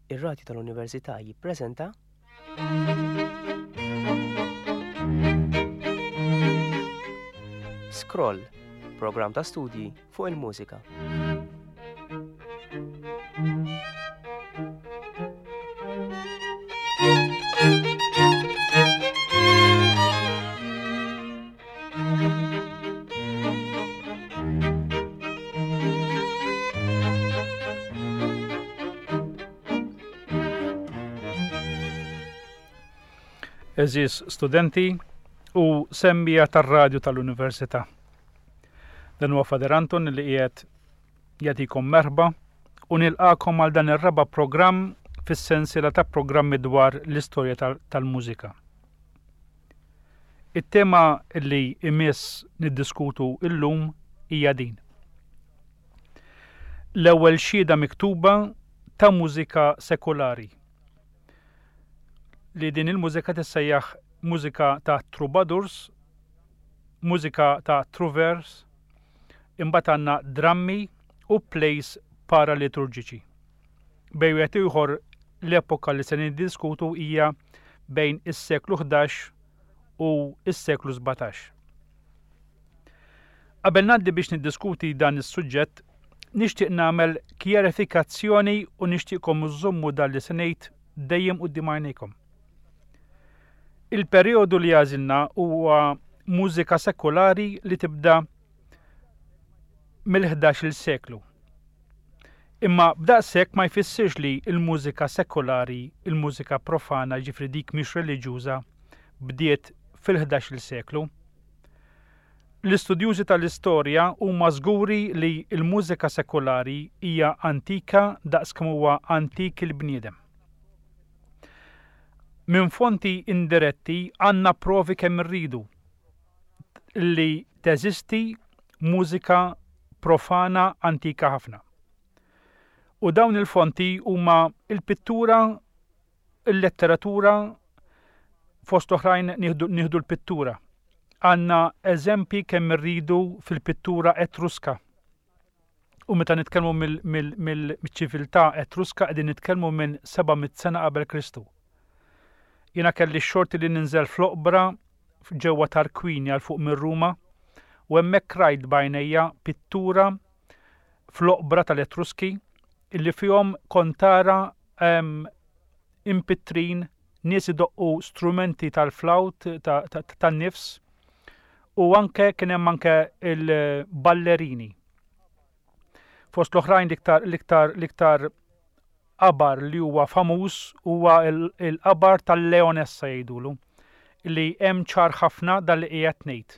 Ir-Radju tal-Università jippreżenta Scroll, programm ta' studji fuq il-mużika. Eżis studenti u semmija tar-radju tal-Università. Dan huwa Fader Anton li qiegħed jagħtikom merħba u nilqakom għal dan ir-raba' programm fis-sensiela ta' programmi dwar l-istorja tal-mużika. It-tema li imiss niddiskutu illum hija din. L-ewwel xhieda miktuba ta' mużika sekulari li din il-mużika tissejjaħ mużika ta' troubadours, mużika ta' trouvères, imbagħad għandna drammi u plays paraliturġiċi. Bejn wieħed ieħor l-epoka li se niddiskutu hija bejn is-seklu 11 u s-seklu 17. Qabel ngħaddi biex niddiskuti dan is-suġġett, nixtieq nagħmel kjarifikazzjoni u nixtieqkom iżommu dan li se ngħid dejjem quddiem għajnejkom. Il-perjodu li għażilna huwa mużika sekulari li tibda mill-11-il seklu. Imma b'daqshekk ma jfissirx li l-mużika sekulari, il-mużika profana, ġifri dik mhix reliġjuża, bdiet fil-11-il seklu. L-istudjużi tal-istorja huma żguri li l-mużika sekulari hija antika daqs kemm huwa antik il-bniedem. Minn fonti indiretti għandna provi kemm irridu li teżisti mużika profana antika ħafna. U dawn il-fonti huma il-pittura, il-letteratura, fost oħrajn nieħdu l-pittura. Għandna eżempji kemm irridu fil-pittura Etruska. U meta nitkellmu mill-ċiviltà Etruska qegħdin nitkellmu minn 700 sena qabel Kristu. Jiena kelli x-xorti li ninżel fl-oqbra ġewwa Tarquinia 'l fuq minn Ruma u hemmhekk rajt b'għajnejja pittura fl-oqbra tal-Etruski illi fihom kont tara ehm, impittrin nies idoqqu strumenti tal-flawt tan-nifs u anke kien hemm anke il-ballerini. Fost l-oħrajn l-iktar l-iktar l-iktar qabar li huwa famuż huwa l-qabar tal-Leonessa jgħidulu, li hemm ċar ħafna dan li qiegħed ngħid.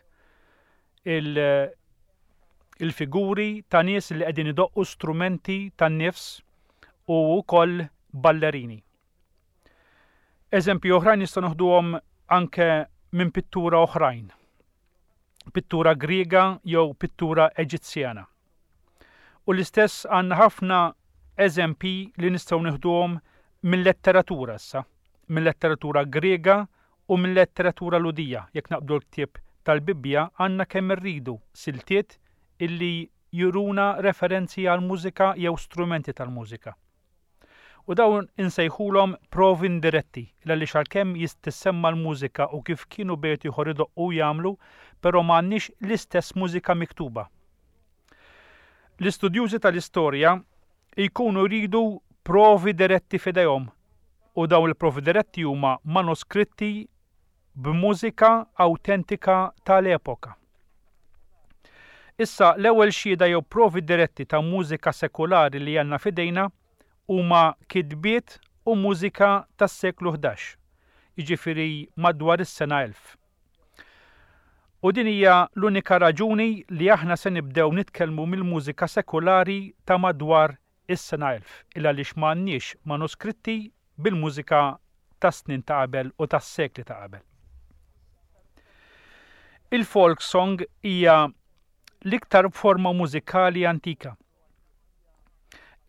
Il-figuri ta' nies li qegħdin idoqqu strumenti tan-nifs u wkoll ballerini. Eżempji oħrajn nistgħu noħduhom anke minn pittura oħrajn. Pittura Griega jew pittura Eġizzjana. U l-istess għandna ħafna eżempji li nistgħu nieħduhom mill-letteratura issa, mill-letteratura Griega u mill-letteratura Lhudija. Jekk naqbdu l-ktieb tal-Bibbja għandna kemm irridu siltiet illi juruna referenzi għal mużika jew strumenti tal-mużika. U dawn insejħulhom provi indiretti, għaliex għalkemm tissemma l-mużika u kif kienu bejt ieħor idoqqu u jagħmlu, però ma għandniex l-istess mużika miktuba. L-istudjużi tal-istorja jkunu jridu provi diretti f'idejhom u dawn il-provi diretti huma manuskritti b'mużika awtentika tal-epoka. Issa, l-ewwel xhieda jew provi diretti ta' mużika sekulari li għandna f'idejna huma kitbiet u mużika tas-seklu 11, jiġifieri madwar is-sena 1000. U din hija l-unika raġuni li aħna se nibdew nitkellmu mill-mużika sekulari ta' madwar is-sena 1000, il-għaliex ma għandniex manuskritti bil-mużika tas-snin ta' qabel u tas-sekli ta' qabel. Il-folk song hija l-iktar forma mużikali antika.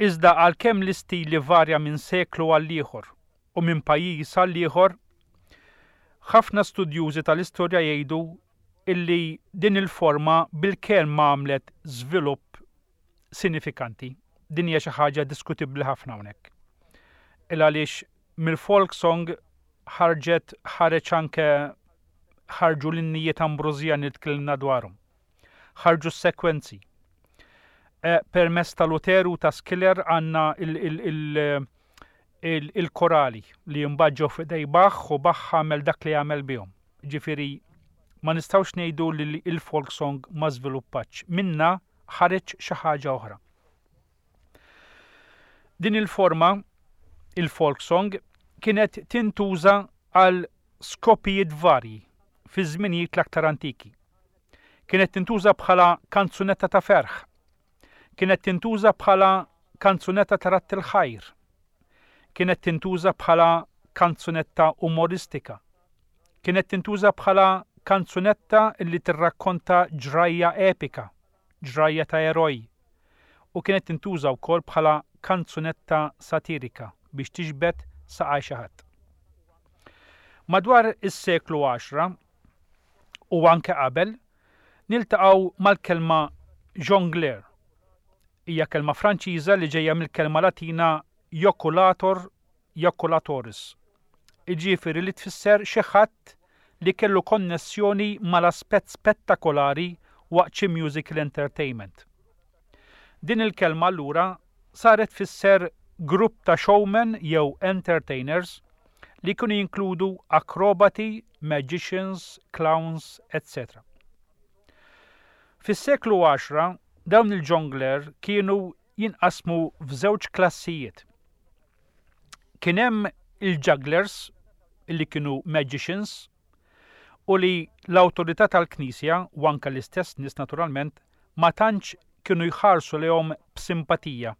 Iżda għalkemm l-istil ivarja minn seklu għal ieħor u minn pajjiż għal ieħor, ħafna studjużi tal-istorja jgħidu illi din il-forma bilkemm għamlet żvilupp sinifikanti. Din hija xi ħaġa diskutibbli ħafna hawnhekk. Il għaliex mill-folk song ħarġet ħareġ anke ħarġu l-innijiet Ambrożjani li tkellimna dwarhom. Ħarġu s-sekwenzi. Eh, permezz ta' Luteru ta' Skiller għandna il-korali li mbagħad ġew f'idej Bach u Bach għamel dak li għamel bihom. Ġifieri ma nistgħux ngħidu li il-folk song ma żviluppatx. Minna ħareġ xi ħaġa oħra. Din il-forma, il-folk song, kienet tintuża għal skopijiet varji fi żminijiet l-aktar antiki. Kienet tintuża bħala kanzunetta ta' ferħ. Kienet tintuża bħala kanzunetta ta' radd il-ħajr. Kienet tintuża bħala kanzunetta umoristika. Kienet tintuża bħala kanzunetta li tirrakkonta ġrajja epika, ġrajja ta' eroj, u kienet tintuża wkoll bħala kanzunetta satirika biex tiġbed saqaj xi ħadd. Madwar is-seklu għaxra u anke qabel, niltaqgħu mal-kelma jongleur. Hija kelma Franċiża li ġejja mill-kelma Latina joculator jaculatoris, jiġifieri li tfisser xi ħadd li kellu konnessjoni mal-aspett spettakolari waqt xi musical entertainment. Din il-kelma allura saret tfisser grupp ta' showmen jew entertainers li kienu jinkludu akrobati, magicians, clowns, etc. Fis-seklu għaxra dawn il-jongleur kienu jinqasmu f'żewġ klassijiet. Kien hemm il-jugglers li kienu magicians u li l-awtorità tal-Knisja u anke l-istess nies naturalment ma tantx kienu jħarsu lejhom b'simpatija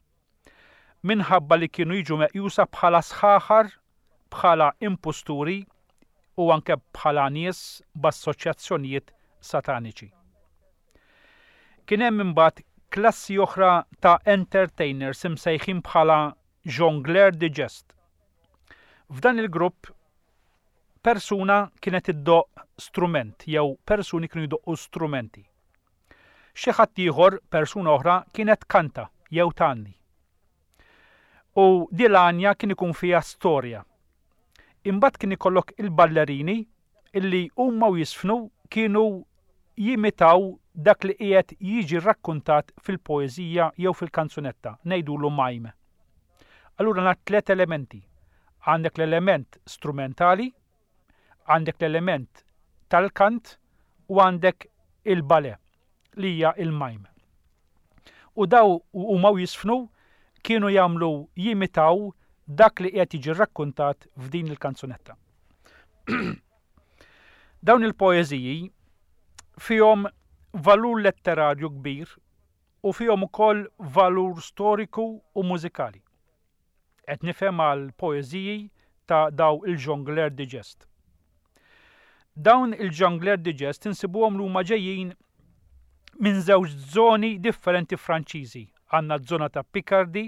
minħabba li kienu jiġu meqjusa bħala sħaħar, bħala impusturi u anke bħala nies b'assoċjazzjonijiet sataniċi. Kien hemm imbagħad klassi oħra ta' entertainers imsejħin bħala jongleur de geste. F'dan il-grupp persuna kienet iddoqq strument jew persuni kienu jdoqqu strumenti. Xi ħadd ieħor, persuna oħra, kienet tkanta jew tgħanni. U di l-għanja kien ikun fiha storja. Imbagħad kien ikollok il-ballerini illi huma u jiżfnu kienu jimitaw dak li qiegħed jiġi rrakkuntat fil-poeżija jew fil-kanzunetta, ngħidulu mime. Allura għandna tlett elementi. Għandek l-element strumentali, għandek l-element tal-kant u għandek il-ballet li hija il-mime. U daw huma u jiżfnu kienu jagħmlu jimitaw dak li qiegħed jiġi rrakkuntat f'din il-kanzunetta. Dawn il-poeżiji fihom valur letterarju kbir u fihom ukoll valur storiku u mużikali. Qed nifhem għal poeżiji ta' daw il-jongleur de geste. Dawn il-jongleur de geste insibuhom li huma ġejjin minn żewġ żoni differenti Franċiżi. Għandna ż-żona ta' Picardy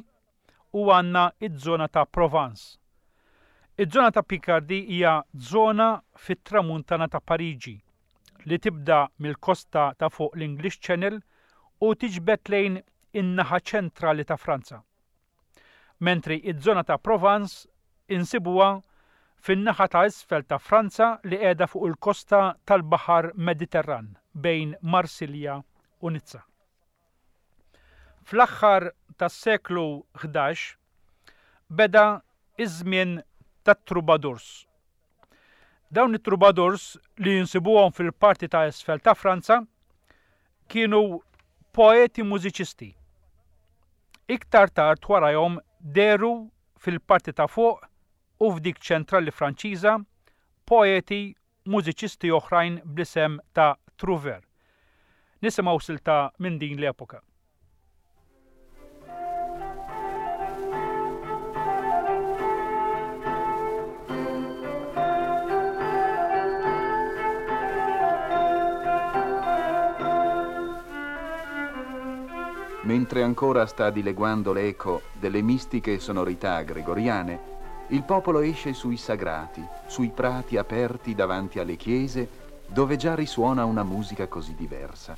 u għandna ż-żona ta' Provence. Iż-żona ta' Picardy hija żona fit-tramuntana ta' Pariġi li tibda mill-kosta ta' fuq l-English Channel u tiġbed lejn in-naħa ċentrali ta' Franza. Mentri iż-żona ta' Provence insibuha fin-naħa ta' isfel ta' Franza li qiegħda fuq il-kosta tal-Baħar Mediterran bejn Marsilja u Nizza. Fl-aħħar tas-seklu 11 beda ż-żmien tat-troubadours. Dawn it-troubadours li jinsibuhom fil-parti ta' isfel ta' Franza kienu poeti mużiċisti. Iktar tard warajhom dehru fil-parti ta' fuq u f'dik ċentrali Franċiża poeti mużiċisti oħrajn bl-isem ta' Trouvère. Nisimgħu silta minn din l-epoka. Mentre ancora sta dileguando l'eco delle mistiche sonorità gregoriane, il popolo esce sui sagrati, sui prati aperti davanti alle chiese, dove già risuona una musica così diversa.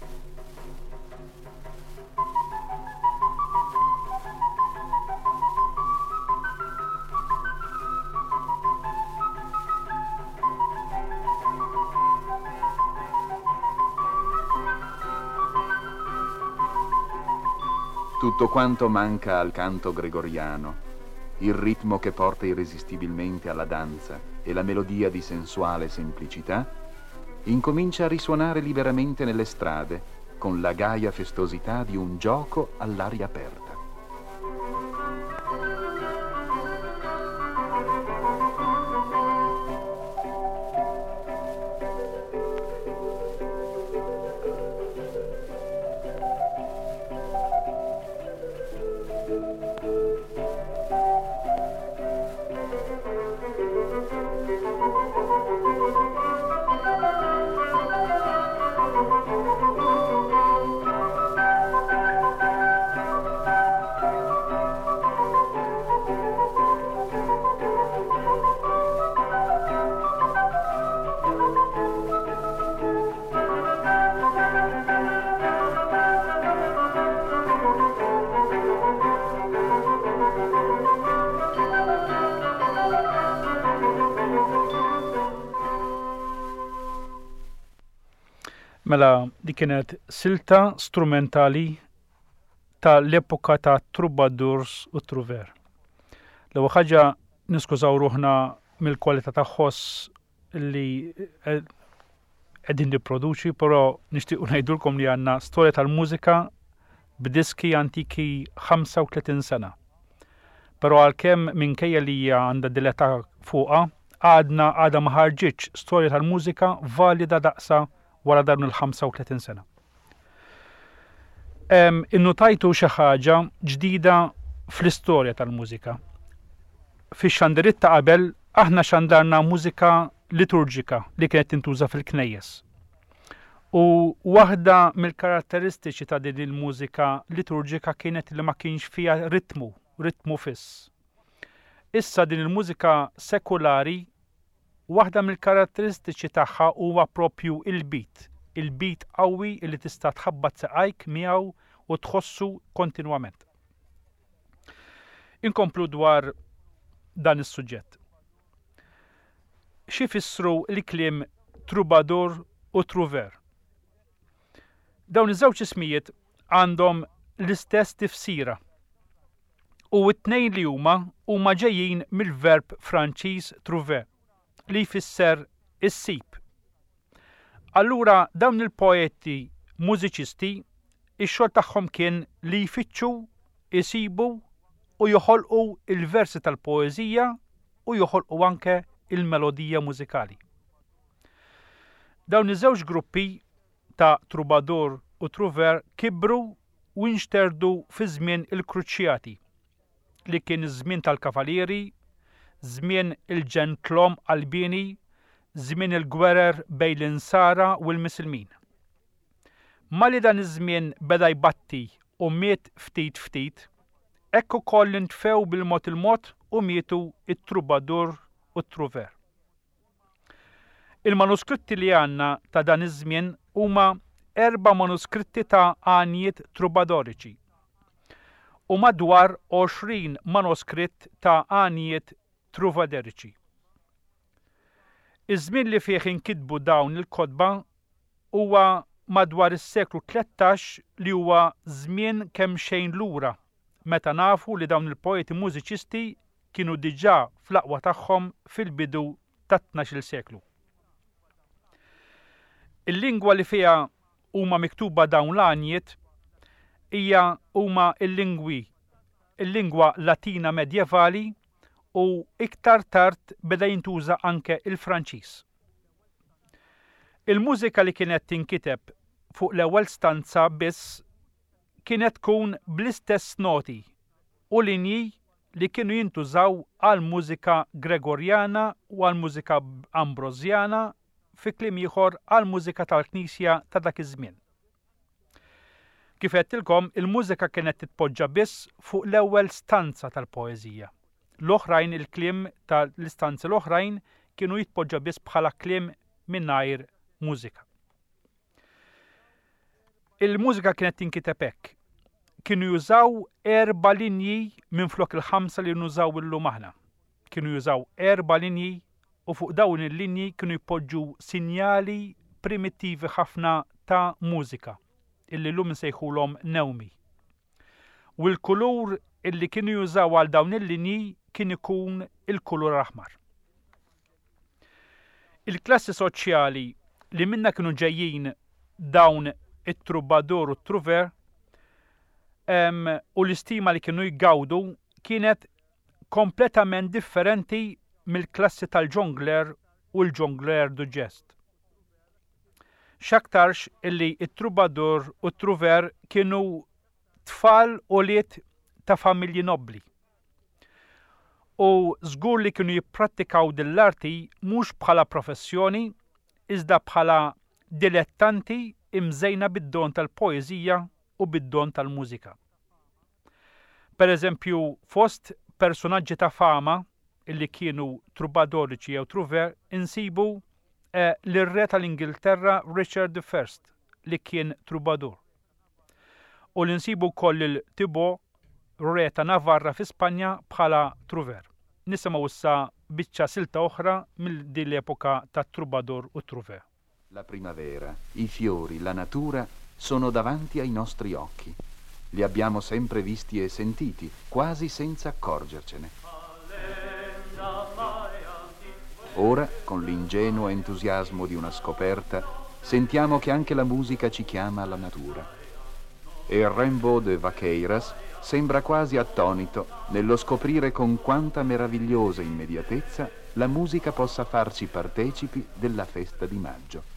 Tutto quanto manca al canto gregoriano, il ritmo che porta irresistibilmente alla danza e la melodia di sensuale semplicità, incomincia a risuonare liberamente nelle strade con la gaia festosità di un gioco all'aria aperta. Mela, di kienet silta strumentali ta' l-epoka ta' troubadours u trouver. L-ewwel ħaġa niskużaw ruħna mill-kwalità ta' ħoss li eh, qegħdin nipproduċi, però nixtiequ ngħidulkom li għandna storja tal-mużika b'diski antiki 35 sena. Però għalkemm minkejja li hija għandha dileta fuqha, għadna għadha ma ħarġitx storja tal-mużika valida daqsa wara dawn il-35 sena. Innutajtu xi ħaġa ġdida fl-istorja tal-mużika. Fix-xandiriet ta' qabel aħna xandarna mużika liturġika li kienet tintuża fil-knejjes. U waħda mill-karatteristiċi ta' din il-mużika liturġika kienet li ma kienx fiha ritmu, ritmu fiss. Issa din il-mużika sekulari Waħda mill-karatteristiċi tagħha huwa proprju il-beat, il-beat qawwi li tista' tħabbat saqajk miegħu u tħossu kontinwament. Inkomplu dwar dan is-suġġett. X'ifissru l-kliem troubadour u trouvère? Dawn iż-żewġ ismijiet għandhom l-istess tifsira u t-tnejn li huma huma ġejjin mill-verb Franċiż trouver li jfisser issib. Allura dawn il-poeti mużiċisti ix-xogħol tagħhom kien li jfittxu, isibu u joħolqu il-versi tal-poeżija u joħolqu anke il-melodija mużikali. Dawn iż-żewġ gruppi ta' troubadour u trouvère kibru u nxterdu fi żmien il-Kruċjati, li kien iż-żmien tal-kavalieri, żmien il-ġentlom qalbieni, żmien il-gwerer bejn l-Insara u l-Misilmin. Malli dan iż-żmien beda jbatti u miet ftit ftit, hekk ukoll intfew bil-mod il-mod u mietu t-troubadour u t-trouvère. Il-manuskritti li għandna ta' dan iż-żmien huma erba' manuskritti ta' għanjiet trubadoriċi u madwar 20 manuskritt ta' għanjiet truvaderiċi. Iż-żmien li fih inkitbu dawn il-kotba huwa madwar is-seklu 13 li huwa żmien kemxejn lura meta nafu li dawn il-poeti mużiċisti kienu diġà fl-aqwa tagħhom fil-bidu tat-tnax-il seklu. Il-lingwa li fiha huma miktuba dawn l-għanjiet hija huma l-lingwi il-lingwa Latina medjevali u iktar tard beda jintuża anke il-Franċiż. Il-mużika li kienet tinkiteb fuq l-ewwel stanza biss kienet tkun bl-istess noti u linji li kienu jintużaw għall-mużika Gregorjana u għall-mużika Ambrożjana, fi kliem ieħor għall-mużika tal-Knisja ta' dak iż-żmien. Kif għedtilkom, il-mużika kienet titpoġġa biss fuq l-ewwel stanza tal-poeżija. L-oħrajn il-kliem ta' l-istanzi l-oħrajn kienu jitpoġġa biss bħala kliem mingħajr mużika. Il-mużika kienet tinkiteb hekk. Kienu jużaw erba' linji minflok il-ħamsa li nużaw illum aħna. Kienu jużaw erba' linji u fuq dawn il-linji kienu jpoġġu sinjali primittivi ħafna ta' mużika, illi llum insejħulhom newmi. U l-kulur illi kienu jużaw għal dawn il-linji kien ikun il-kulur aħmar. Il-klassi soċjali li minnha kienu ġejjin dawn it-troubadour u t-trouvère u l-istima li kienu jgawdu kienet kompletament differenti mill-klassi tal-jongleur u l-jongleur du geste. X'aktarx illi t-troubadour u t-trouvère kienu tfal ulied ta' familji nobbli. U żgur li kienu jipprattikaw din l-arti mhux bħala professjoni iżda bħala dilettanti imżejna bid-don tal-poeżija u bid-don tal-mużika. Per eżempju, fost persunaġġi ta' fama illi kienu trubadoriċi jew trouvère insibu eh, lir-re tal-Ingilterra Richard I li kien trubadur. U li nsibu wkoll lil Thibaut, re ta' Navarra fi Spanja bħala trouvère. Nisimgħu issa biċċa silta oħra mill din l-epoka tat-troubadour u t-trouvère. La primavera, i fiori, la natura sono davanti ai nostri occhi. Li abbiamo sempre visti e sentiti, quasi senza accorgercene. Ora, con l'ingenuo entusiasmo di una scoperta, sentiamo che anche la musica ci chiama alla natura. E Rimbaud de Vaqueiras sembra quasi attonito nello scoprire con quanta meravigliosa immediatezza la musica possa farci partecipi della festa di maggio.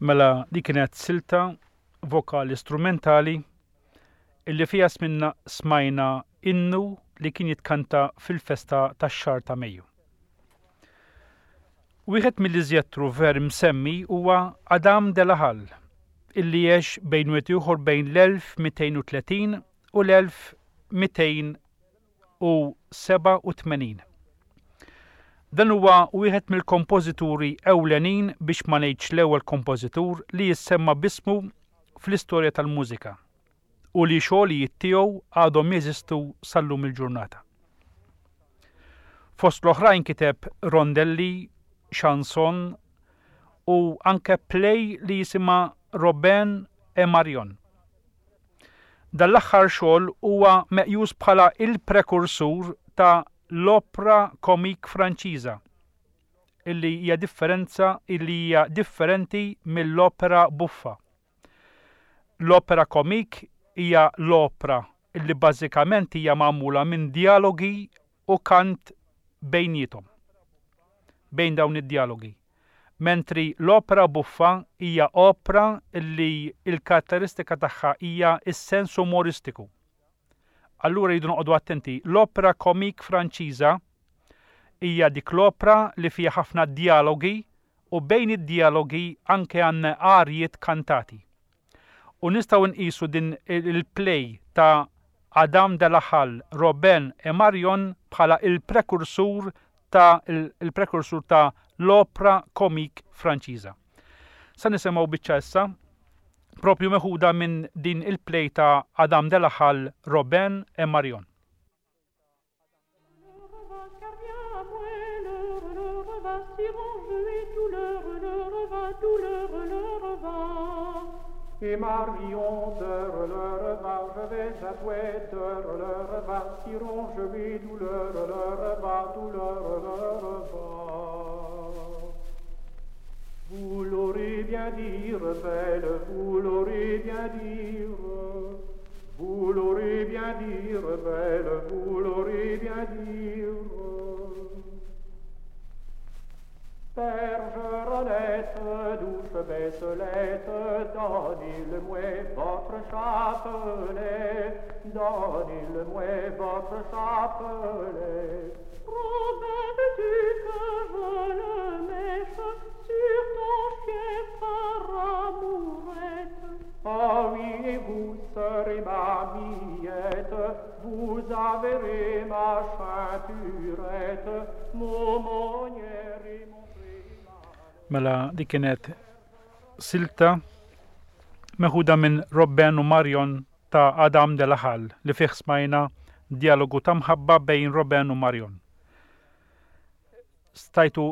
Mela dik kienet silta vokali strumentali illi fiha sminna smajna innu li kien jitkanta fil-festa tax-xahar ta' Mejju. Wieħed mill-iżjed trouvère msemmi huwa Adam de la Halle, illi għex bejn wieħed ieħor bejn l-1230 u l-1287. Dan huwa wieħed mill-kompożituri ewlenin biex ma ngħidx l-ewwel kompożitur li jissemma b'ismu fl-istorja tal-mużika u li xogħlijiet tiegħu għadhom jeżistu sal-lum il-ġurnata. Fost l-oħrajn kiteb rondelli, chanson u anke play li jisimha Robin et Marion. Dan l-aħħar xogħol huwa meqjus bħala il-prekursur ta' l-opra comique Franċiża illi hija differenza illi hija differenti mill-opera buffa. L-opera comique hija l-opra li bażikament hija magħmula minn djalogi u kant bejniethom, bejn dawn id-djalogi. Mentri l-opera buffa hija opra li l-karatteristika tagħha hija s-sens umoristiku. Allura rridu noqogħdu attenti. L-opera comique Franċiża hija dik l-opra li fiha ħafna djalogi u bejn id-djalogi anke għandna arjiet kantati. U nistgħu nqisu din il-play ta' Adam de la Halle, Robin et Marion bħala il-prekursur ta' il-prekursur ta' l-opra comique Franċiża. Sa nisimgħu biċċa issa propju meħuda minn din il-play ta' Adam de la Halle, Robin et Marion. Et Marion de leur va, je vais à toi de leur va, si ronge mes douleurs, leur va, douleur, leur va. Vous l'aurez bien dire, belle, vous l'aurez bien dire, vous l'aurez bien dire, belle, vous l'aurez bien dire. Bergeronnette, douce baisselette, donnez-le-moi votre chapelet, donnez-le-moi votre chapelet. Robin, veux-tu que je le mette sur ton fièvre amourette? Ah oui, et vous serez ma miette, vous averez ma ceinturette, mon monnière et mon Mela dik kienet silta meħuda minn Robben u Marion ta' Adam de la Halle li fih smajna dialogu ta' mħabba bejn Robben u Marion. Stajtu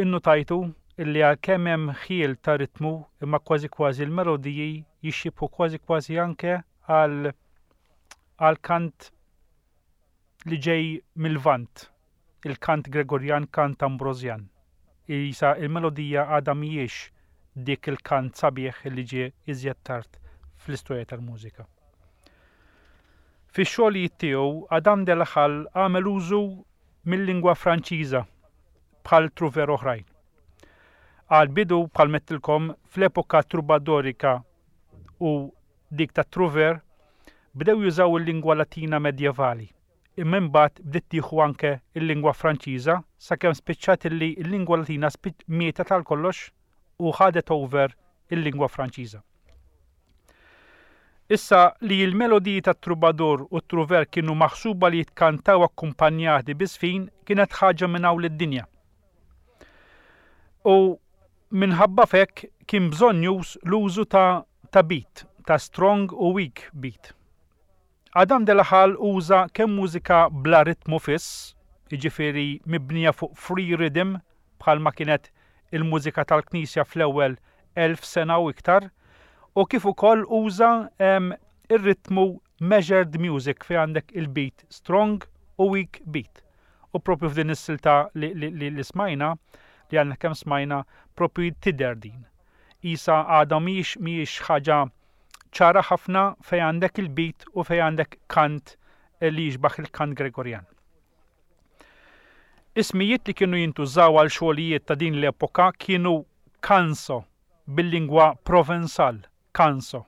innutajtu illi għalkemm hemm ħjiel ta' ritmu imma kważi kważi l-melodiji jixxibħu kważi kważi anke għal għal kant li ġej mil-Lvant, il-kant Gregorjan, kant Ambrosjan. Isa il-melodija għadha mhijiex dik il-kant sabiħ li ġie iżjed tard fl-istorja tal-mużika. Fix-xogħlijiet tiegħu Adam de la Halle għamel użu mil-lingwa Franċiża bħal trouver oħrajn. Għall-bidu, bħal m'għedtilkom, fl-epoka trubadorika u dik tat-trouver, bdew jużaw il-lingwa Latina medjevali, imma imbagħad bdiet tieħu anke l-lingwa Franċiża sakemm spiċċat illi l-lingwa Latina mietet għal kollox u ħadet over il-lingwa Franċiża. Issa li l-melodiji tat-troubadour u t-trouver kienu maħsuba li jitkantaw akkumpanjati bi żfin kienet ħaġa minn hawn lid-dinja. U minħabba f'hekk kien bżonnjuż l-użu ta' ta' beat, ta' strong u weak beat. Adam de la Halle uża kemm mużika bla ritmu fiss, jiġifieri mibnija fuq free rhythm bħalma kienet il-mużika tal-Knisja fl-ewwel 1000 sena u iktar, u kif ukoll uża ir-ritmu measured music fejn għandek il-beat strong u weak beat. U propju f'din is-silta li, li, li, li smajna, li għandna kemm smajna, propju tidher din. Isa għadha mhijiex mhijiex ħaġa ċara ħafna fejn għandek il-beat u fejn għandek kant li jixbaħ il-kant Gregorjan. Ismijiet li kienu jintużaw għal xogħlijiet ta' din l-epoka kienu canso bil-lingwa Provenzal, canso.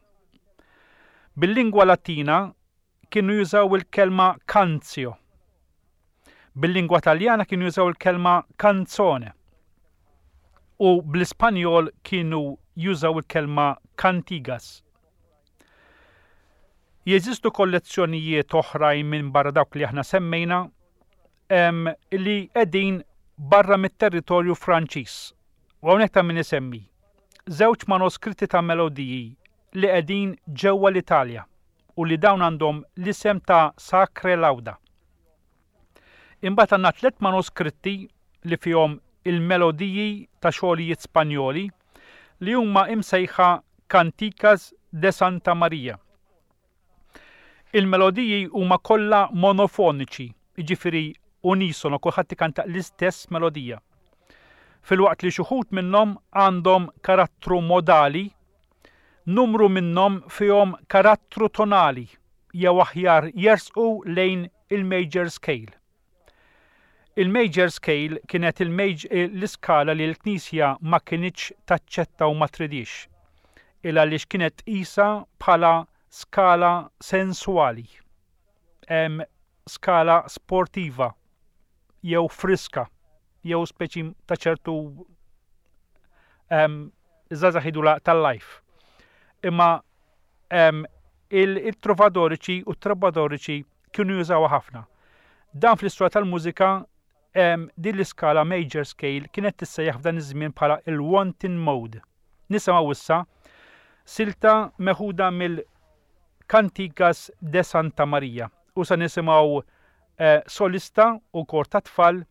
Bil-lingwa Latina kienu jużaw il-kelma canzio. Bil-lingwa Taljana kienu jużaw il-kelma canzone. U bl-Ispanjol kienu jużaw il-kelma cantigas. Jeżistu kollezzjonijiet oħrajn minn barra dawk li aħna semmejna li qegħdin barra mit-territorju Franċiż. U hawnhekk ta' min isemmi żewġ manuskritti ta' melodiji li qegħdin ġewwa l-Italja u li dawn għandhom l-isem ta' Sacre Lauda. Imbagħad għandna tlett manuskritti li fihom il-melodiji ta' xogħlijiet Spanjoli li huma imsejħa Canticas de Santa Maria. Il-melodiji huma kollha monofoniċi, jiġifieri unisono, kulħadd ikanta l-istess melodija. Filwaqt li xi wħud minnhom għandhom karattru modali, numru minnhom fihom karattru tonali jew aħjar jersqu lejn il-major scale. Il-major scale kienet l-iskala li l-Knisja ma kinitx taċċetta u ma tridhiex, il għaliex kienet tqisha bħala skala sensuali, skala sportiva jew friska jew speċi ta' ċertu żgħażagħ jgħidulha tal-life. Imma il-trovadoriċi u t-trobadoriċi kienu jużawha ħafna. Dan fl-istorja tal-mużika din l-iskala major scale kienet tissejjaħ f'dan iż-żmien bħala il-wanton mode. Nisimgħu issa silta meħuda mill-Cantigas de Santa Maria u sa nisimgħu eh, solista u kor ta' tfal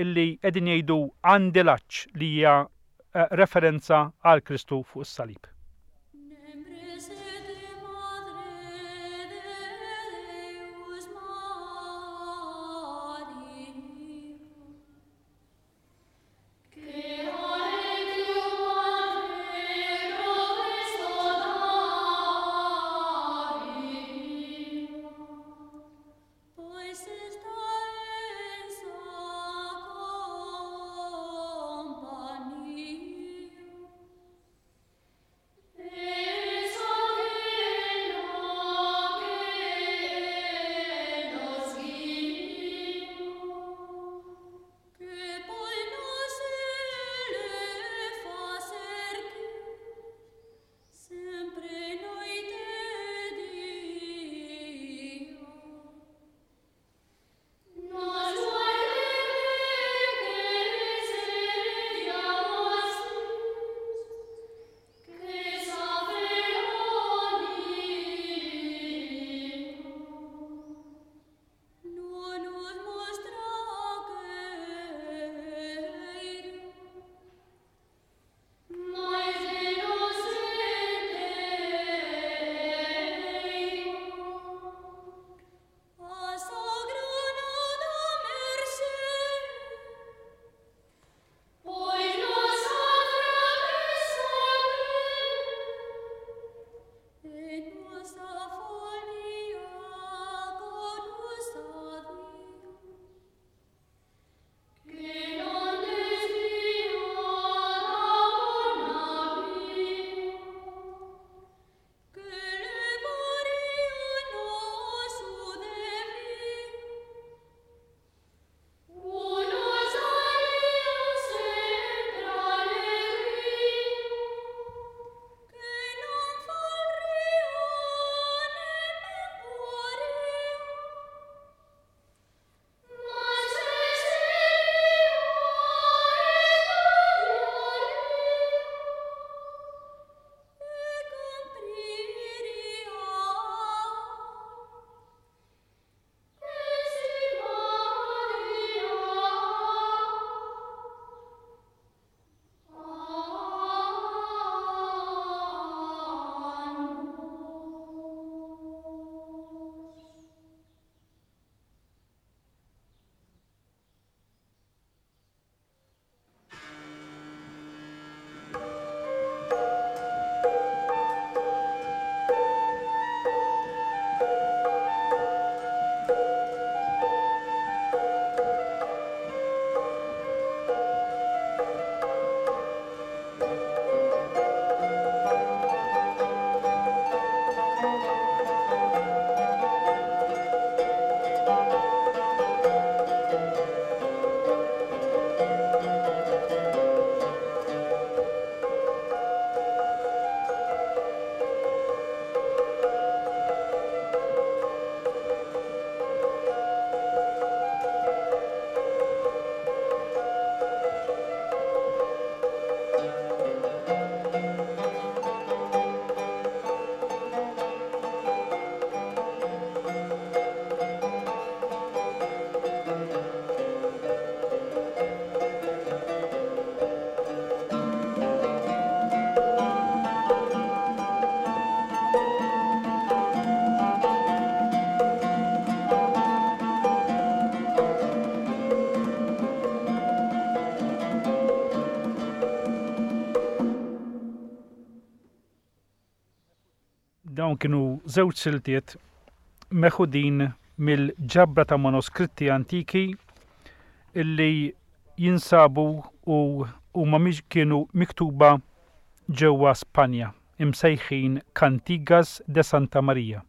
illi qegħdin jgħidu għandi l-għatx li hija eh, referenza għal Kristu fuq is-salib. Dawn kienu żewġ siltiet meħudin mill-ġabra ta' manuskritti antiki illi jinsabu u huma kienu miktuba ġewwa Spanja, imsejħin Cantigas de Santa Maria.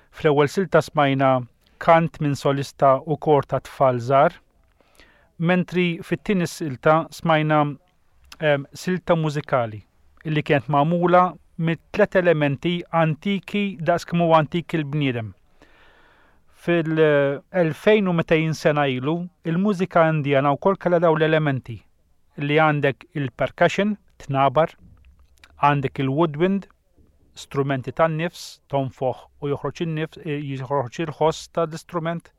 Fl-ewwel silta smajna kant minn solista u kor ta' tfal żgħar, mentri fit-tieni silta smajna silta mużikali illi kienet magħmula mit-tlet elementi antiki daqs kemm huwa antik il-bniedem. Fil-2200 sena ilu, il-mużika Indjana wkoll kellha dawn l-elementi li għandek il-percussion, tnabar, għandek il-woodwind, strumenti tan-nifs, tonfoħ u joħroġ in-nifs, eh, joħroġ il-ħoss tal-istrument,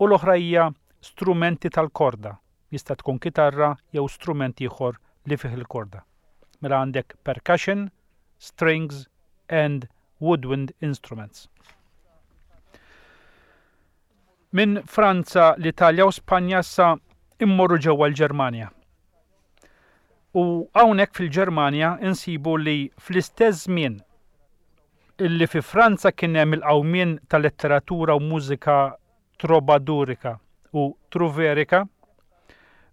u l-oħra hija strumenti tal-korda, Jista' tkun kitarra jew strument ieħor li fih il-korda. Mela għandek percussion, strings and woodwind instruments. Minn Franza, l-Italja u Spanja issa immorru ġewwa l-Ġermanja. U hawnhekk fil-Ġermanja insibu li fl-istess żmien illi fi Franza kien hemm il-qawmien ta' letteratura u mużika trobadurika u truverika,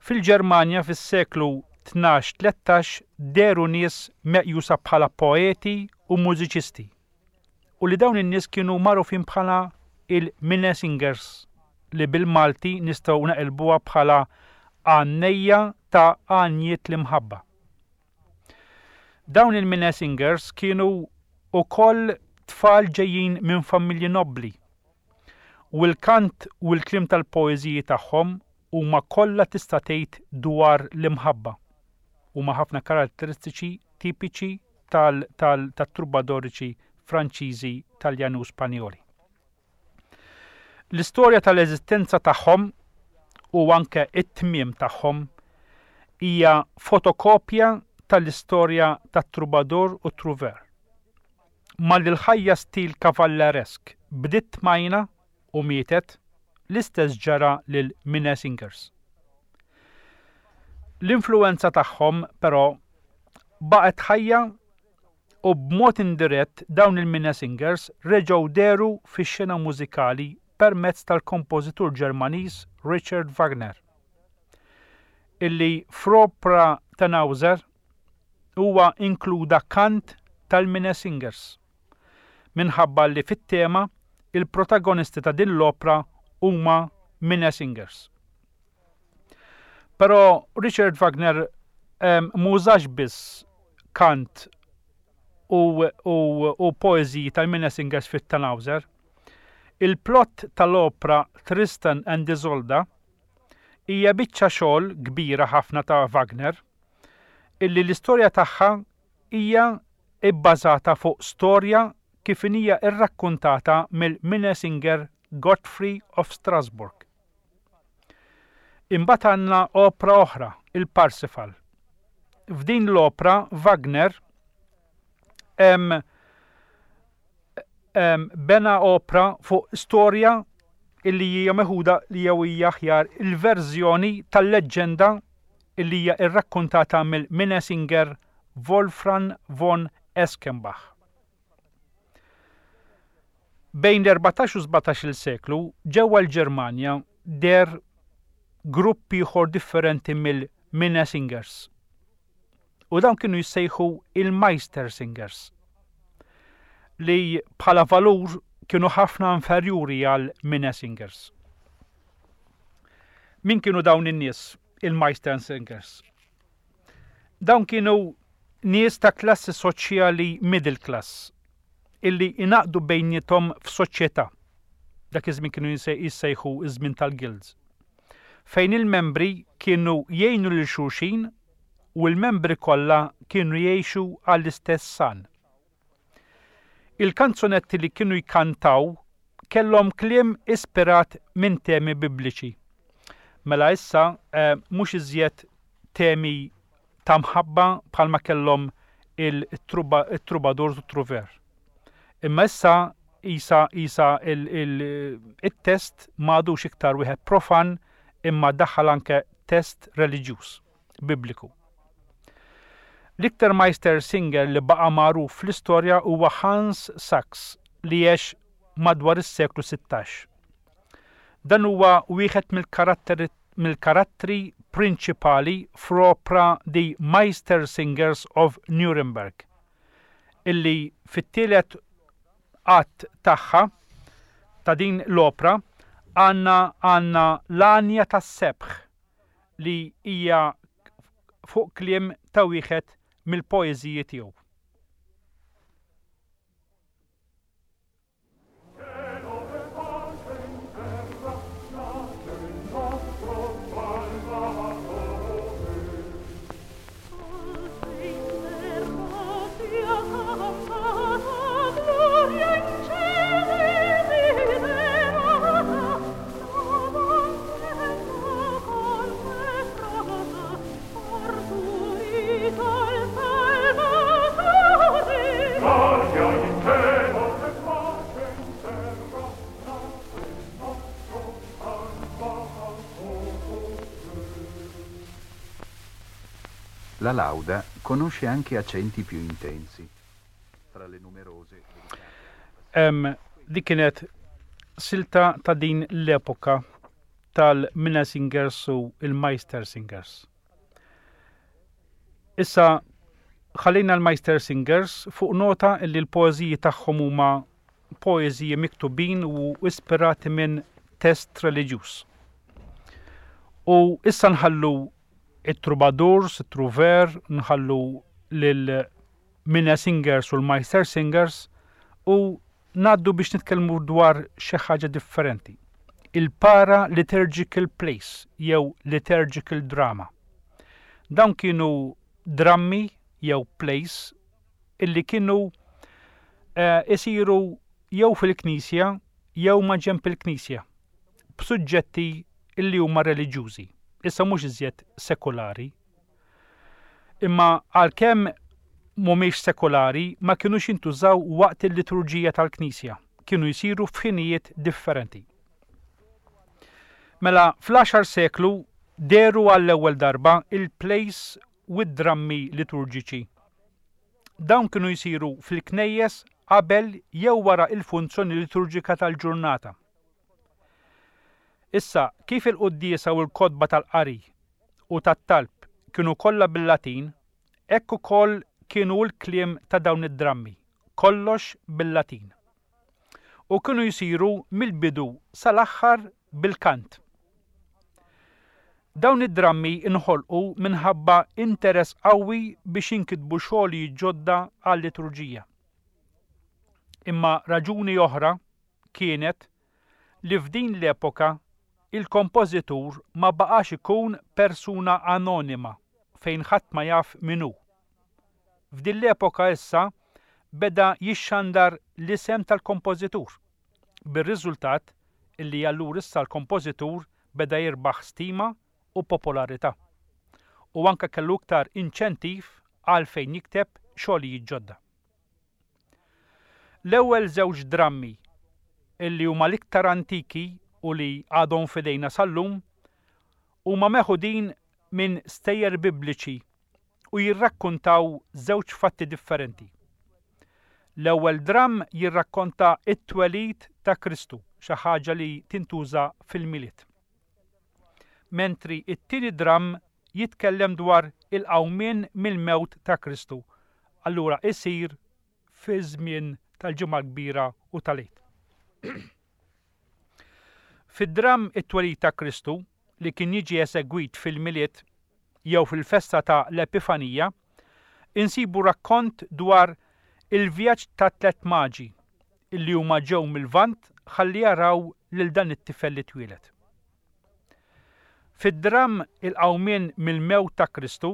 fil-Ġermanja fis-seklu 12-13 dehru nies meqjusa bħala poeti u mużiċisti, u li dawn in-nies kienu magħrufin bħala il-Minnesingers li bil-Malti nistgħu naqilbuha bħala għannejja ta' għanjiet l-imħabba. Dawn il-Minnesingers kienu wkoll tfal ġejjin minn familji nobbli U l-kant u l-kliem tal-poeżiji tagħhom huma kollha tista' tgħid dwar l-imħabba. Huma ħafna karatteristiċi tipiċi tat-trubadoriċi Franċiżi, Taljani u Spanjoli. L-istorja tal-eżistenza tagħhom u anke it-tmiem tagħhom hija fotokopja tal-istorja tat-trubadur u t-truver. Malli l-ħajja stil kavalleresk bdiet tmajna u mietet, l-istess ġara lil Minnesingers. L-influwenza tagħhom, però, baqgħet ħajja u b'mod indirett dawn il-Minnesingers reġgħu dehru fix-xena mużikali permezz tal-kompożitur Ġermaniż Richard Wagner, illi fl-opra Tannhäuser huwa inkluda kant tal-Minnesingers, minħabba li fit-tema il-protagonisti ta' din l-opra huma Minnesingers. Però Richard Wagner m'użax biss kant u, u, u poeżiji tal-Minnesingers fit-Tannhäuser. Il-plott tal-opra Tristan and Isolde hija biċċa xogħol kbira ħafna ta' Wagner illi l-istorja tagħha hija bbażata fuq storja kif inhija rrakkuntata mill-Minnesinger Gottfried of Strasbourg. Imbagħad għandna opra oħra, il-Parsifal. F'din l-opra Wagner hemm bena opra fuq storja illi hija meħuda li jew hija aħjar il-verżjoni tal-leġġenda illi hija rrakkuntata mill-Minnesinger Wolfram von Eschenbach. Bejn l-14 u 17-il seklu ġewwa l-Ġermanja deher grupp ieħor differenti mill-Minnesingers. U dawn kienu jissejħu il-Meistersingers li bħala valur kienu ħafna inferjuri għal Minnesingers. Min kienu dawn in-nies, il-Meistersingers? Dawn kienu nies ta' klassi soċjali middle class illi ingħaqdu bejniethom f'soċjetà. Dak iż-żmien kienu jissejħu iż-żmien tal-guilds. Fejn il-membri kienu jgħinu lil xulxin u l-membri kollha kienu jgħixu għall-istess għan. Il-kanzunetti li kienu jkantaw kellhom kliem ispirat minn temi Bibliċi. Mela issa eh, mhux iżjed temi ta' mħabba bħalma kellhom il-trubadur u truver. Imma issa isa isa il-test m'għadux iktar wieħed profan imma daħal anke test reliġjuż. Bibliku. L-iktar Meistersinger li baqa' magħruf fl-istorja huwa Hans Sachs li għex madwar is-seklu 16. Dan huwa wieħed mill-karattri prinċipali fl-opra The Meistersingers of Nuremberg, illi fit-tielet att tagħha ta' din l-opra għandna għandna l-għanja tas-sebħ li hija fuq kliem ta' wieħed mill-poeżiji tiegħu. La lauda conosce anche accenti più intensi. Tra le numerose Em, dik kienet silta ta' din l-epoka tal-Minnesingers u il-Meistersingers. Issa ħallejna l-Meistersingers fuq nota li l-poeżiji tagħhom huma poeżiji miktubin u ispirati minn test reliġjuż. U issa nħallu it-troubadours, it-trouver, nħallu lil Minnesingers u l-Meistersingers u ngħaddu biex nitkellmu dwar xi ħaġa differenti. Il-para liturgical plays jew liturgical drama. Dawn kienu drammi jew plays illi kienu eh, isiru jew fil-knisja jew ma' ġenb il-knisja b'suġġetti illi huma reliġjużi, issa mhux iżjed sekulari. Imma għalkemm mhumiex sekulari ma kinux jintużaw waqt il-liturġija tal-Knisja, kienu jsiru f'ħinijiet differenti. Mela fl-għaxar seklu dehru għall-ewwel darba il-plays u d-drammi liturġiċi. Dawn kienu jsiru fil-knejjes qabel jew wara il-funzjoni liturġika tal-ġurnata. Issa, kif il-quddiesa u l-kotba tal-qari u tat-talb kienu kollha bil-Latin, hekk ukoll kienu l-kliem ta' dawn id-drammi, kollox bil-Latin. U kienu jsiru mill-bidu sal-aħħar bil-kant. Dawn id-drammi nħolqu minħabba interess qawwi biex jinkitbu xogħlijiet ġodda għal-liturġija. Imma raġuni oħra kienet li f'din l-epoka il-kompożitur ma baqax ikun persuna anonima fejn ħadd ma jaf min hu. F'din l-epoka issa beda jixxandar l-isem tal-kompożitur, bir-riżultat illi allura issa l-kompożitur beda jirbaħ stima u popolarità. U anke kellu iktar inċentiv għalfejn jikteb xogħlijiet ġodda. L-ewwel żewġ drammi illi huma l-iktar antiki u li għadhom f'idejna sal-lum huma meħudin minn stejjer Bibliċi u jirrakkuntaw żewġ fatti differenti. L-ewwel dramm jirrakkonta t-twelid ta' Kristu, xi ħaġa li tintuża fil-Milied. Mentri t-tieni dramm jitkellem dwar il-qawmien mill-mewt ta' Kristu, allura isir fiż-żmien tal-Ġimgħa l-Kbira u tal-Għid. Fid-dramm It-Twelid ta' Kristu, li kien jiġi esegwit fil-Milied jew fil-festa ta' l-Epifanija, insibu rakkont dwar il-vjaġġ tat-tlett maġi illi huma ġew mil-Lvant ħalli jaraw lil dan it-tifel li twieled. Fid-dramm Il-Qawmien mill-Mewt ta' Kristu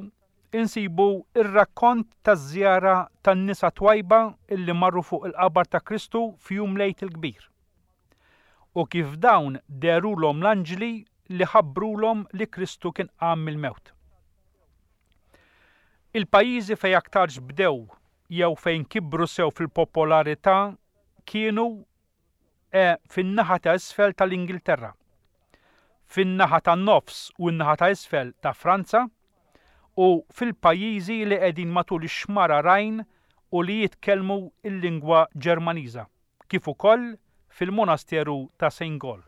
insibu r-rakkont taż-żjara tan-nisa twajba illi marru fuq il-qabar ta' Kristu f'jum l-Għid il-Kbir. U kif dawn dehrulhom l-anġli li ħabbrulhom li Kristu kien qam mill-mewt. Il-pajjiżi fejn aktarx bdew jew fejn kibru sew fil-popolarità kienu E fin-naħa ta' isfel tal-Ingilterra, fin-naħa tan-nofs u n-naħa ta' isfel ta' Franza, u fil-pajjiżi li qegħdin matul ix-xmara Rhine u li jitkellmu l-lingwa Ġermaniża, kif ukoll fil-monasteru ta' Saint Gall.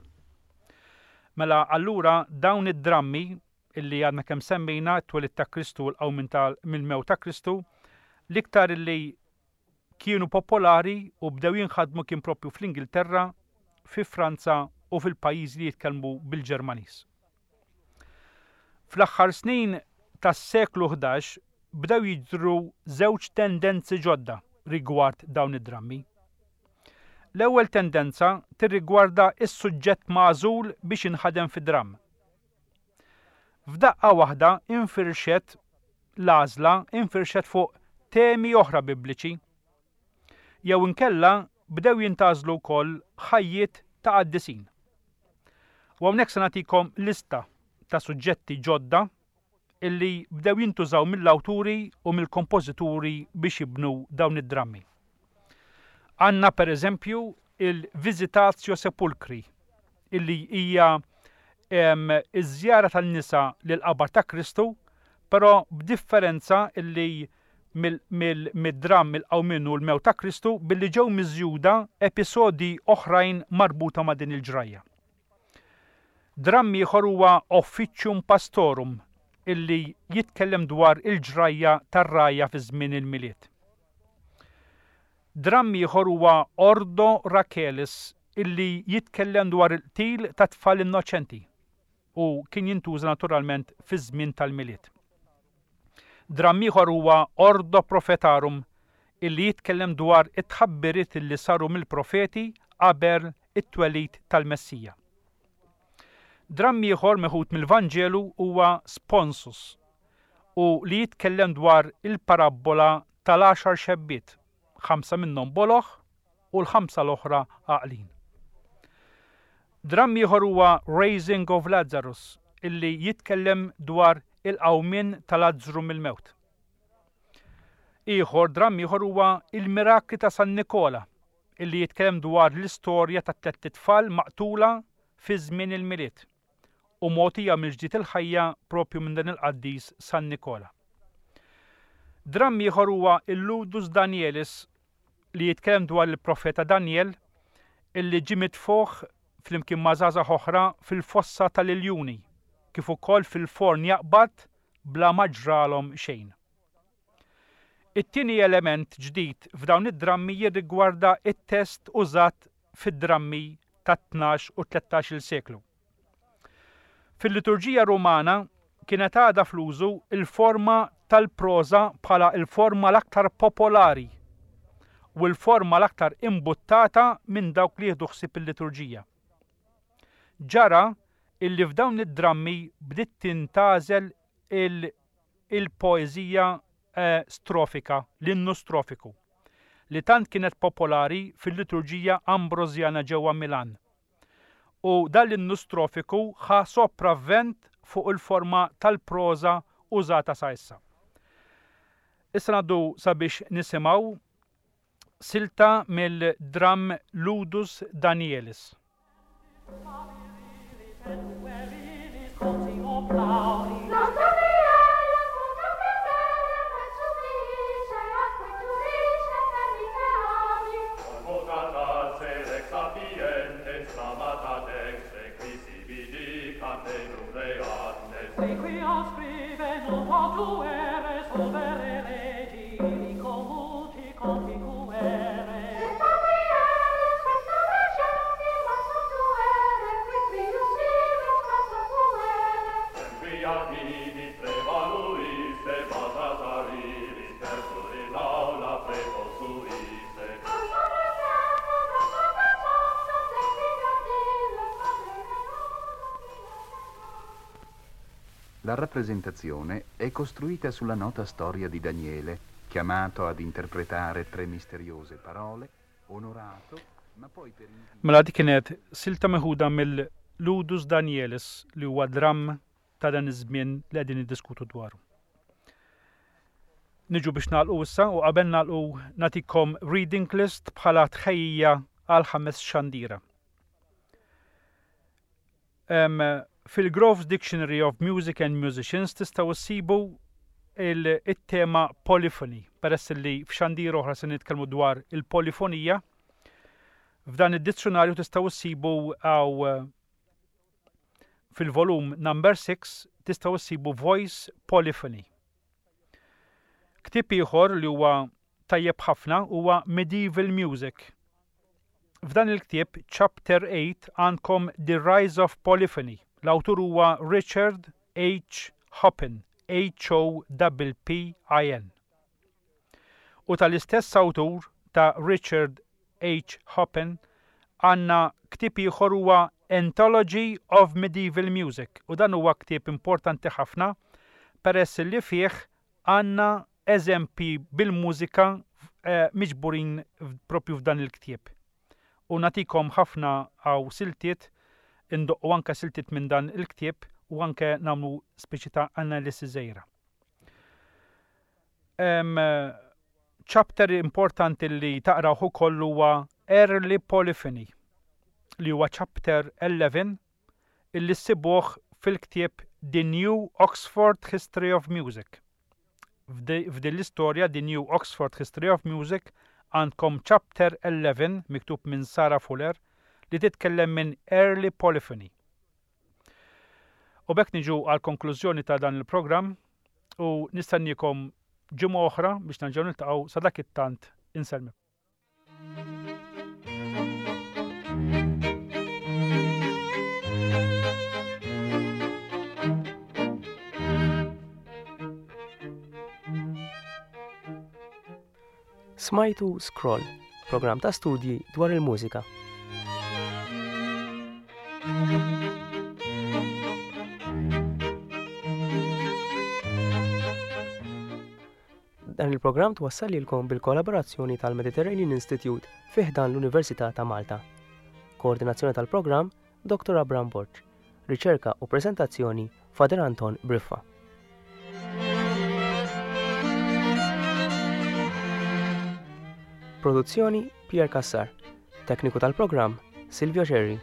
Mela allura dawn id-drammi illi għadna kemm semmejna, it-twelid ta' Kristu u l-qawmien ta' mill-mewt ta' Kristu, l-iktar illi kienu popolari u bdew jinħadmu kien propju fl-Ingilterra, fi Franza u fil-pajjiżi li jitkellmu bil-Ġermaniż. Fl-aħħar snin tas-seklu 11 bdew jidhru żewġ tendenzi ġodda rigward dawn id-drammi. L-ewwel tendenza tirrigwarda s-suġġett magħżul biex inħadem fi dramm. F'daqqa waħda infirxet l-għażla infirxet fuq temi oħra Bibliċi. Jew inkella bdew jintgħażlu wkoll ħajjiet ta' qaddisin. U hawnhekk se nagħtikom lista ta' suġġetti ġodda illi bdew jintużaw mill-awturi u mill-kompożituri biex jibnu dawn id-drammi. Għandna pereżempju il-Visitatio Sepulchri illi hija iż-żjara tan-nisa lill-qabar ta' Kristu, però b'differenza illi mid-dramm il-qawmien u l-mewt ta' Kristu billi ġew miżjuda episodji oħrajn marbuta ma' din il-ġrajja. Dramm ieħor huwa Officium Pastorum illi jitkellem dwar il-ġrajja tar-rgħajja fi żmien il-Milied. Dramm ieħor huwa Ordo Rachelis illi jitkellem dwar il-qtil ta' tfal innoċenti u kien jintuża naturalment fiż-żmien tal-Milied. Dramm ieħor huwa Ordo Prophetarum illi jitkellem dwar it-tħabbiriet illi saru mill-profeti qabel it-twelid tal-Messija. Dramm ieħor meħud mill-Vanġelu huwa Sponsus u li jitkellem dwar il-parabbola tal-għaxar xebbiet, ħamsa minnhom boloh u l-ħamsa l-oħra għaqlin. Dramm ieħor huwa Raising of Lazarus illi jitkellem dwar il-qawmien ta' Lazzru mill-mewt. Ieħor dramm ieħor huwa Il-Mirakli ta' San Nikola illi jitkellem dwar l-istorja ta' tlett itfal maqtula fi żmien il-Milied u mogħtija mill-ġdid il-ħajja propju minn dan il-qaddis San Nikola. Dramm ieħor huwa Il-Ludus Danielis li jitkellem dwar il-profeta Danjel illi ġie mitfugħ flimkien ma' żgħażagħ oħra fil-fossa tal-iljuni kif ukoll fil-forn jaqbad bla ma ġralhom xejn. It-tieni element ġdid f'dawn id-drammi jirrigwarda t-test użat fid-drammi tat-tnax u t-tlettax-il seklu. Fil-liturġija Rumana kienet għadha fl-użu l-forma tal-proża bħala l-forma l-aktar popolari u l-forma l-aktar imbuttata minn dawk li jieħdu ħsieb il-liturġija. Ġara illi f'dawn id-drammi bdiet tintgħażel il-poeżija strofika, l-innu strofiku, li tant kienet popolari fil-liturġija Ambrożjana ġewwa Milan. U dan l-innu strofiku ħa sopravvent fuq il-forma tal-proża użata sa issa. Issa ngħaddu sabiex nisimgħu silta mill-dramm Ludus Danielis. La rappresentazione è costruita sulla nota storia di Daniele, chiamato ad interpretare tre misteriose parole, onorato, ma poi per Mela dik kienet silta meħuda mill-Ludus Danielis li huwa dramm ta' dan iż-żmien li qegħdin niddiskutu dwaru. Niġu biex nagħlqu issa u qabel nagħlqu nagħtikom reading list bħala tħejjija għal ħames xandira. Fil-Grove's Dictionary of Music and Musicians tistgħu issibu il-tema polyphony, peress li f'xandir oħra se nitkellmu dwar il-polifonija. F'dan id-dizzjunarju tistgħu ssibu għaw fil-volum number 6 tistgħu ssibu voice polyphony. Ktieb ieħor li huwa tajjeb ħafna huwa Medieval Music. F'dan il-ktieb, chapter 8, għandkom The Rise of Polyphony. L-awtur huwa Richard H. Hoppin, H-O-P-P-I-N. U tal-istess awtur ta' Richard H. Hoppin għandna ktieb ieħor huwa Anthology of Medieval Music u dan huwa ktieb importanti ħafna peress li fih għandna eżempji bil-mużika eh, miġburin propju f'dan il-ktieb. U nagħtikom ħafna għaw siltiet, indoqqu anke siltiet minn dan il-ktieb u anke nagħmlu speċi ta' analisi żgħira. Chapter importanti li taqrawh ukoll huwa Early Polyphony li huwa chapter 11 illi ssibuh fil-ktieb The New Oxford History of Music. F'din l-istorja The New Oxford History of Music għandkom chapter 11 miktub minn Sarah Fuller li titkellem minn Early Polyphony. U b'hekk niġu għall-konklużjoni ta' dan il-programm u nistenniekom ġimgħa oħra biex nerġgħu niltaqgħu sa dak it-tant insellmilkom. Smajtu Scroll, programm ta' studji dwar il-mużika. Dan il-programm twassal lilkom bil-kollaborazzjoni tal-Mediterranean Institute fi ħdan l-Università ta' Malta. Koordinazzjoni tal-programm Dr. Abram Borg. Riċerka u preżentazzjoni Father Anton Briffa. Produzzjoni Pierre Cassar. Tekniku tal-programm Silvio Scerri.